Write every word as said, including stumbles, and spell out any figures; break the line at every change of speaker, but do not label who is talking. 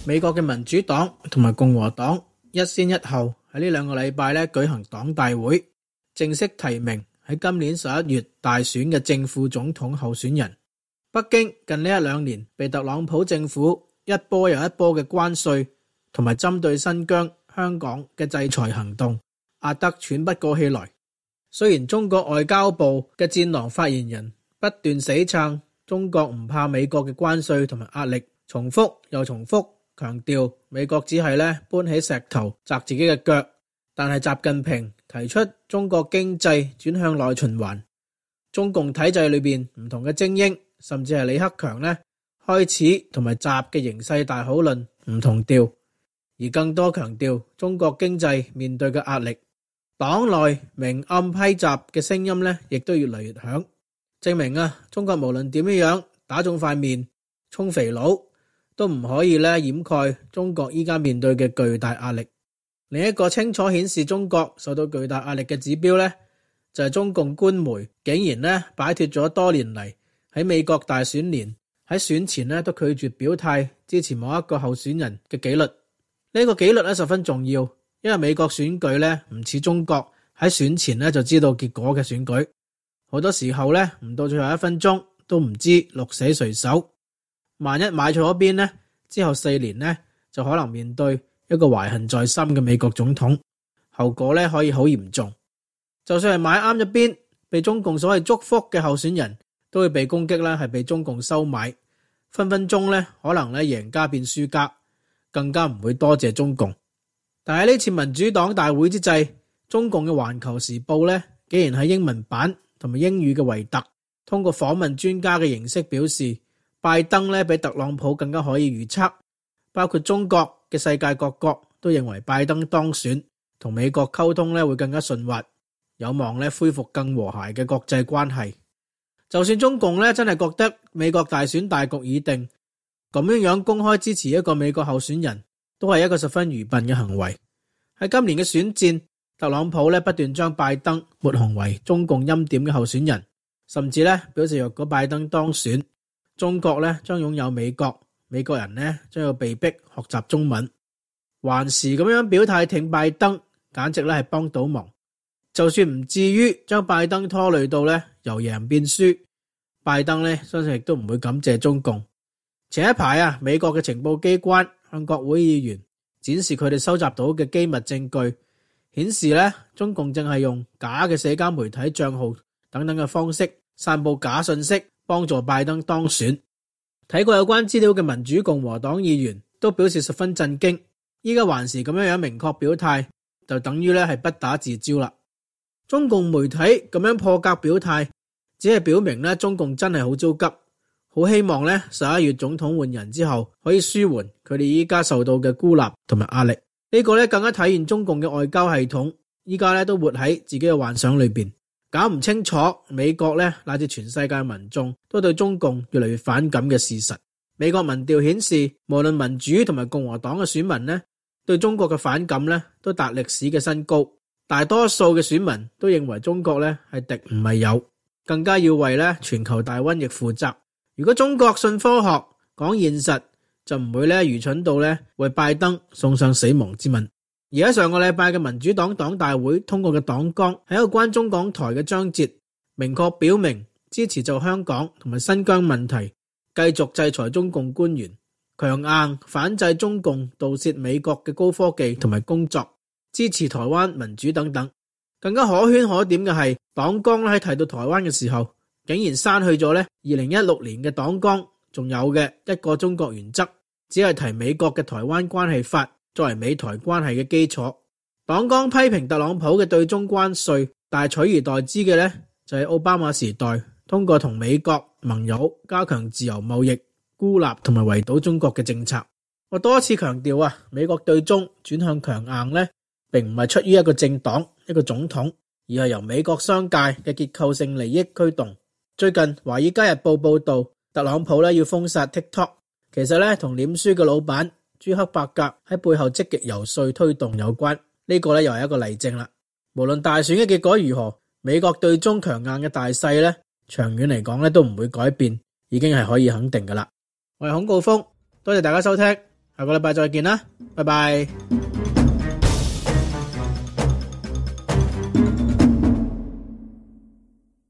美國嘅民主黨同埋共和黨一先一後喺呢兩個禮拜咧舉行黨大會，正式提名喺今年十一月大選嘅正副總統候選人。北京近呢一兩年被特朗普政府一波又一波嘅關稅同埋針對新疆、香港嘅制裁行動壓得喘不過氣來。雖然中國外交部嘅戰狼發言人不斷死撐中國唔怕美國嘅關稅同埋壓力，重複又重複強調美國只係咧搬起石頭砸自己嘅腳，但係習近平提出中國經濟轉向內循環，中共體制裏邊唔同嘅精英甚至係李克強咧開始同埋習嘅形勢大討論唔同調，而更多強調中國經濟面對嘅壓力。黨內明暗批習嘅聲音咧，亦都越嚟越響，證明啊，中國無論點樣打腫塊面、充肥佬，都唔可以咧掩蓋中國依家面對嘅巨大壓力。另一個清楚顯示中國受到巨大壓力嘅指標咧，就係中共官媒竟然咧擺脫咗多年嚟喺美國大選年喺選前咧都拒絕表態支持某一個候選人嘅紀律。呢個紀律咧十分重要。因為美國選舉咧唔似中國喺選前咧就知道結果嘅選舉，好多時候咧唔到最後一分鐘都唔知鹿死誰手。萬一買錯咗邊咧，之後四年咧就可能面對一個懷恨在心嘅美國總統，後果咧可以好嚴重。就算係買啱咗邊，被中共所謂祝福嘅候選人都會被攻擊啦，係被中共收買，分分鐘咧可能咧贏家變輸家，更加唔會多謝中共。但係呢次民主黨大會之際，中共嘅環球時報咧，竟然喺英文版同埋英語嘅維特，通過訪問專家嘅形式表示，拜登咧比特朗普更加可以預測，包括中國嘅世界各國都認為拜登當選，同美國溝通咧會更加順滑，有望咧恢復更和諧嘅國際關係。就算中共咧真係覺得美國大選大局已定，咁樣樣公開支持一個美國候選人，都係一個十分愚笨嘅行為。喺今年嘅選戰，特朗普咧不斷將拜登抹紅為中共欽點嘅候選人，甚至咧表示若果拜登當選，中國咧將擁有美國，美國人咧將要被逼學習中文。還是咁樣表態挺拜登，簡直咧係幫倒忙。就算唔至於將拜登拖累到咧由贏變輸，拜登咧相信亦都唔會感謝中共。前一排啊，美國嘅情報機關向國會議員展示佢哋收集到嘅機密證據，顯示咧中共正係用假嘅社交媒體賬號等等嘅方式散布假信息，幫助拜登當選。睇過有關資料嘅民主共和黨議員都表示十分震驚，依家還是咁樣樣明確表態，就等於咧係不打自招啦。中共媒體咁樣破格表態，只係表明咧中共真係好焦急。好希望咧十一月總統換人之後可以舒緩佢哋依家受到嘅孤立同埋壓力。呢個咧更加體現中共嘅外交系統依家咧都活喺自己嘅幻想裏邊，搞唔清楚美國咧乃至全世界民眾都對中共越嚟越反感嘅事實。美國民調顯示，無論民主同埋共和黨嘅選民咧對中國嘅反感咧都達歷史嘅新高，大多數嘅選民都認為中國咧係敵唔係友，更加要為咧全球大瘟疫負責。如果中國信科學講現實，就唔會咧愚蠢到咧為拜登送上死亡之吻。而喺上個禮拜嘅民主黨黨大會通過嘅黨綱，係一個關中港台嘅章節，明確表明支持就香港同埋新疆問題繼續制裁中共官員，強硬反制中共盜竊美國嘅高科技同埋工作，支持台灣民主等等。更加可圈可點嘅係，黨綱喺提到台灣嘅時候，竟然刪去咗咧二零一六年嘅黨綱仲有嘅一個中國原則，只係提美國嘅台灣關係法作為美台關係嘅基礎。黨綱批評特朗普嘅對中關稅，但係取而代之嘅咧就係奧巴馬時代通過同美國盟友加強自由貿易、孤立同埋圍堵中國嘅政策。我多次強調啊，美國對中轉向強硬咧，並唔係出於一個政黨、一個總統，而係由美國商界嘅結構性利益驅動。最近《華爾街日報》報道，特朗普咧要封殺 TikTok， 其實咧同臉書嘅老闆朱克伯格喺背後積極游說推動有關。呢個咧又係一個例證啦。無論大選嘅結果如何，美國對中強硬嘅大勢咧，長遠嚟講咧都唔會改變，已經係可以肯定噶啦。我係孔誥烽，多謝大家收聽，下個禮拜再見啦，拜拜。